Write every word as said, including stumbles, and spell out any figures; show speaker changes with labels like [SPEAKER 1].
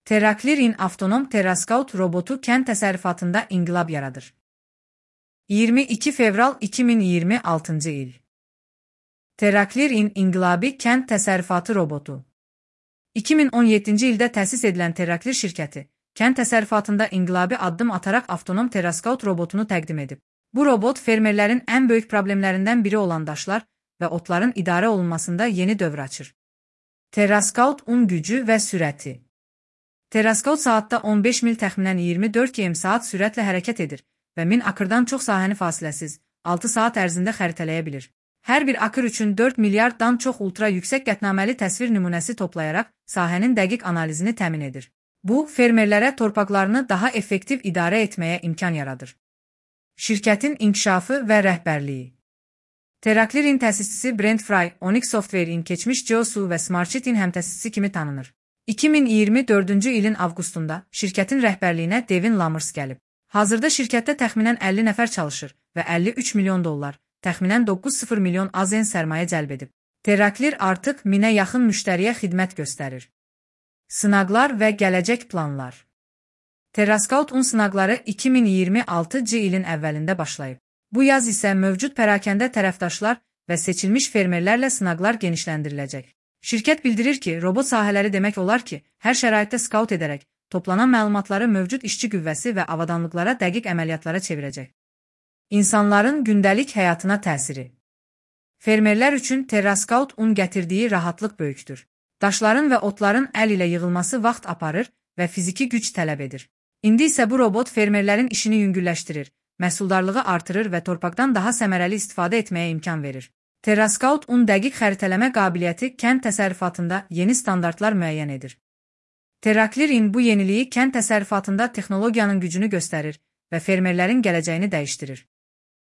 [SPEAKER 1] Teraklirin avtonom Terraskaut robotu kənd təsərrüfatında inqilab yaradır. iyirmi iki fevral iki min iyirmi altıncı il. Teraklirin inqilabi kənd təsərrüfatı robotu. iki min on yeddinci ildə təsis edilən Teraklir şirkəti, kənd təsərrüfatında inqilabi addım ataraq avtonom Terraskaut robotunu təqdim edib. Bu robot fermerlərin ən böyük problemlərindən biri olan daşlar və otların idarə olunmasında yeni dövr açır. Terraskaut un gücü və sürəti. Terraskaut saatda on beş mil təxminən iyirmi dörd kilometr saat sürətlə hərəkət edir və min akırdan çox sahəni fasiləsiz, altı saat ərzində xəritələyə bilir. Hər bir akır üçün dörd milyarddan çox ultra yüksək qətnaməli təsvir nümunəsi toplayaraq sahənin dəqiq analizini təmin edir. Bu, fermerlərə torpaqlarını daha effektiv idarə etməyə imkan yaradır. Şirkətin inkişafı və rəhbərliyi. Teraklirin təsisçisi Brent Fry, Onyx Software-in keçmiş Geosu və Smartsheet-in həmtəsisçisi kimi tanınır. iki min iyirmi dördüncü ilin avqustunda şirkətin rəhbərliyinə Devin Lamers gəlib. Hazırda şirkətdə təxminən əlli nəfər çalışır və əlli üç milyon dollar, təxminən doqquz sıfır milyon AZN sərmayə cəlb edib. Teraklir artıq minə yaxın müştəriyə xidmət göstərir. Sınaqlar və gələcək planlar. Terraskaut un sınaqları iki min iyirmi altıncı ilin əvvəlində başlayıb. Bu yaz isə mövcud pərakəndə tərəfdaşlar və seçilmiş fermerlərlə sınaqlar genişləndiriləcək. Şirkət bildirir ki, robot sahələri demək olar ki, hər şəraitdə skaut edərək, toplanan məlumatları mövcud işçi qüvvəsi və avadanlıqlara dəqiq əməliyyatlara çevirəcək. İnsanların gündəlik həyatına təsiri. Fermerlər üçün Terraskaut un gətirdiyi rahatlıq böyükdür. Daşların və otların əl ilə yığılması vaxt aparır və fiziki güc tələb edir. İndi isə bu robot fermerlərin işini yüngülləşdirir, məhsuldarlığı artırır və torpaqdan daha səmərəli istifadə etməyə imkan verir. Terraskaut un dəqiq xəritələmə qabiliyyəti kənd təsərrüfatında yeni standartlar müəyyən edir. Teraklirin bu yeniliyi kənd təsərrüfatında texnologiyanın gücünü göstərir və fermerlərin gələcəyini dəyişdirir.